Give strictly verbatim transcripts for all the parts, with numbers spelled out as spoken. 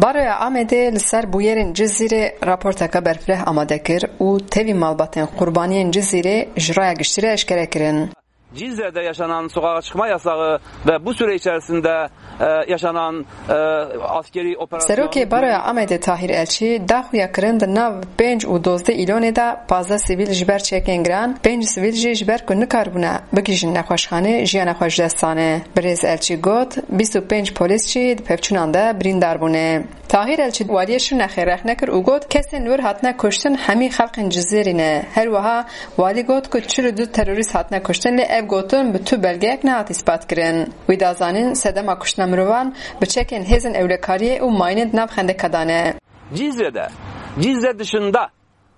Baroya Amedê li ser bûyerên Cizîrê raporteke berfireh amade kir û tevî malbatên qurbaniyên Cizîrê ji raya giştî re eşkere kirin. Cizre'de yaşanan sokağa çıkma yasağı ve bu süre içerisinde, e, yaşanan, e, askeri operasyon Serokê Baroya Amedê Tahîr Elçî da xuyakirin di nav pênc û dozdeh Îlonê de pazdeh sivîl ji ber çekên giran, pênc sivîl jî ji ber ku nikaribûne bigihîjin nexweşxanê jiyana xwe ji dest dane. Birêz Elçî got, bîst û pênc polîs jî di pevçûnan de birîndar bûne. Tahîr Elçî waliyê Şirnexê rexne kir û got, kesên li wir hatine kuştin hemî xelkên Cizîrî ne. Her wiha walî got ku çil û du terorîst hatine kuştin, lê ev gotin bi tu belgeyek nehat îspat kirin. Wî da zanîn, sedema kuştina mirovan bi çekên hêzên ewlekariyê û mayînê di nav xendeka de ne. Cizre'de, Cizre dışında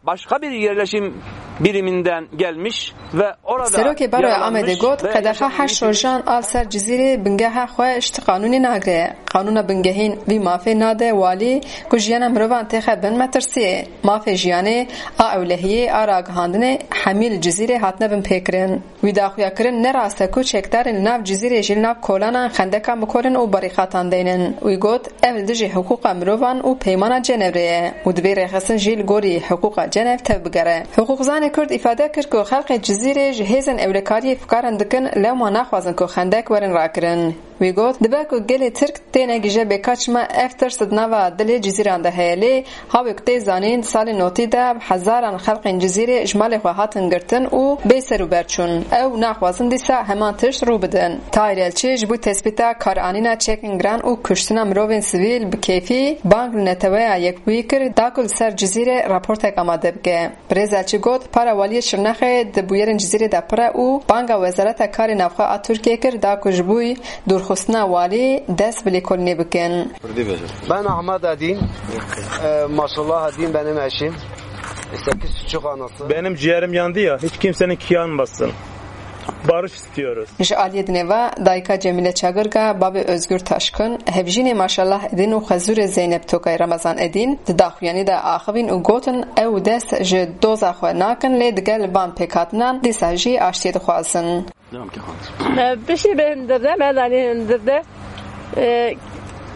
başka bir yerleşim biriminden gelmiş ve orada Serokê Baroya Amedê yaralanmış got, ve qedexa yaşanan heşt rojan a li ser Cizîrê bingeha xwe ji ti qanûnê nagire. Qanûna bingehîn vî mafê nade walî ku jiyana mirovan têxe bin metirsiyê. Mafê jiyanê, a ewlehiyê, a ragihandinê hemî li Cizîrê hatine binpêkirin. Wî daxuya kirin, ne rast e ku çekdarên li nav Cizîrê jî li nav kolanan xendekan bikorin û barîqatan deynin. Wî got, ev li dijî hiqûqa mirovan û peymana Cenevre ye û divê rêxistin jî li gorî hiqûqa Cenev tev bigere. Hiqûqzanê Kurd îfade kir ku xelkê Cizîrê ji hêzên ewlekariyê fikarin dikin, lewma naxwazin ku xendek werin rakirin. Wî got, dibe ku gelê Tirk têne gije bêka çima ev tirs di nava dilê Cizîran de heye, lê hawê ku tê zanîn, salên notî de bi hezaran xelkên Cizîrê ji malê xwe hatin girtin û bê ser û ber çûn. Ew naxwazin dîsa heman tişt rû bidin. Tahîr Elçî ji bo tespîta karanîna çekên giran û kuştina mirovên sivîl bi kêfî bang li Neteweya Yekbûyî kir, da ku li ser Cizîrê raportek amade bike. Birêz Elçî got, para waliyê Şirnexê di bûyerên Cizîrê de pir e û banga Wezareta Karê Navxwe a Tirkiyê kir da ku ji bo dûrxistina walî dest bi lêkolînê bikin. Ben Ahmet Edin. Ee, maşallah Edin benim eşim. Sekiz çocuk anası. Benim ciğerim yandı ya, hiç kimsenin yanmasın. Barış istiyoruz. Ji aliyê dinê ve dayika Cemîle Çagirga, bavê Özgür Taşkın, hevjînê Maşallah Edin û xezûrê Zeynep Tokay Ramazan Edin di daxuyanî de axivîn û gotin, ew dest ji doza xwe nakin, lê digel van pêkhatinan dîsa jî aştiyê dixwazin. Me piştî bi hindir de, me danî hindir de, e,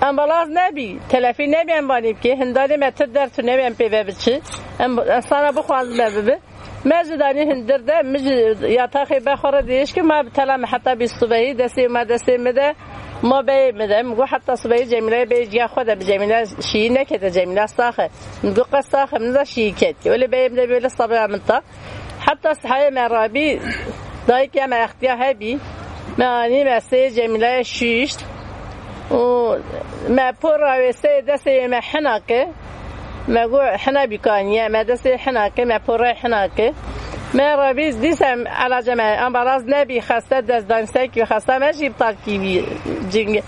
ambalaz nebî, telefî nebî em vanî bikê, hindarê me tu der tu nebî em pê ve biçi, em, em sana bixwazin me bibi. Me ji danî hindir de, min ji yataxê be xwe re dirêj kir, ma bi tela me heta bîst subehî, destê me destê min de, ma beyê min de. Min got heta subehî Cemîleyê bê ciya xwe de bi Cemîle şiyî nekete, Cemîle sax e. Min got qe sax e, min da şiyî ket. Wele beyê min de bê li sabira min ta. Heta sihayê me rabî, dayikê me extiya hebî. Me anî me sê Cemîleyê şişt. û me por rawê sê destê me hina ke, me got hina bîkaniye, me destê hina ke, me porê hina ke. Me rabî dîsa elace me ambalaz nebî, xeste destdanî sekî, xeste me jî iptal kî bî, cing,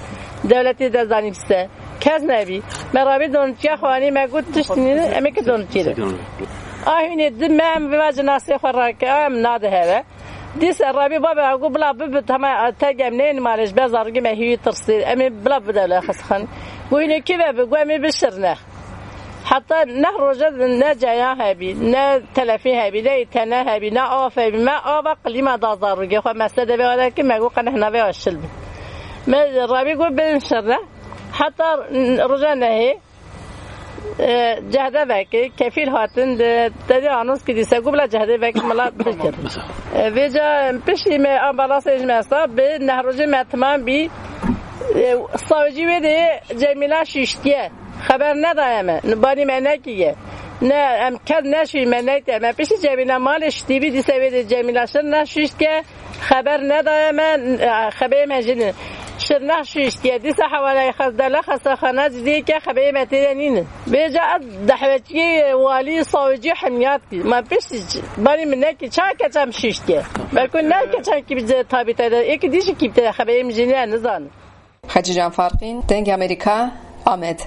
dewletê destdanî biste. Kes nebî. Me rabî donûtiya xwanî, me got tişt nîne, em ê ki donûtiyê de. A hûnê di me em viva cinasê xwe rake, em nade here. Dîsa rabî babê got bila bibi, hema te gem neyên malê ji be zarokê me hîvî tirsê. Em ê bila bide li xestexanê. Got hînê kî ve bi, got em ê bi Şirnex. Heta neh roje ne ceya hebî, ne telefî hebî, ne înterne hebî, ne av hebî. Me ava qilîma da zarokê xwe, me sedevê ava kir, me got qeneh navê ava şil bi. Me rabî got bin Şirnex. Heta roja nehê, e, cehde vekir, kefîl hatin, di, te dî anons kir dîse, got bila cehde vekir, mila bikir. E, vêca piştî me ambalasê ji me sta, bi neh rojê me timam bî, e, savcî wê dê Cemîla şiştiye. Xeber nedaye me, banî me nekiye. Ne, em kes neşî me neyte, me piştî Cemîla malê şitî bî, dîse wê dê Cemîla şir neşiştiye. Xeber nedaye me, xebeyê me jî ne. Şirnex şiştiye. Dîsa hewaleyê xezdele xestexane cidî ke xebeyê me tê de nînin. Vêca ez dehwetiyê walî sawicî hemiyat kî. Ma piştî ç-, banî min nekî ça keçem şiştiye. Belkû ne keçem kî bi tabîte de. Êkî dî jî kî te xebeyê min jî ne nizanim. Xecîcan Farqîn, Dengê Amerîka, Amed.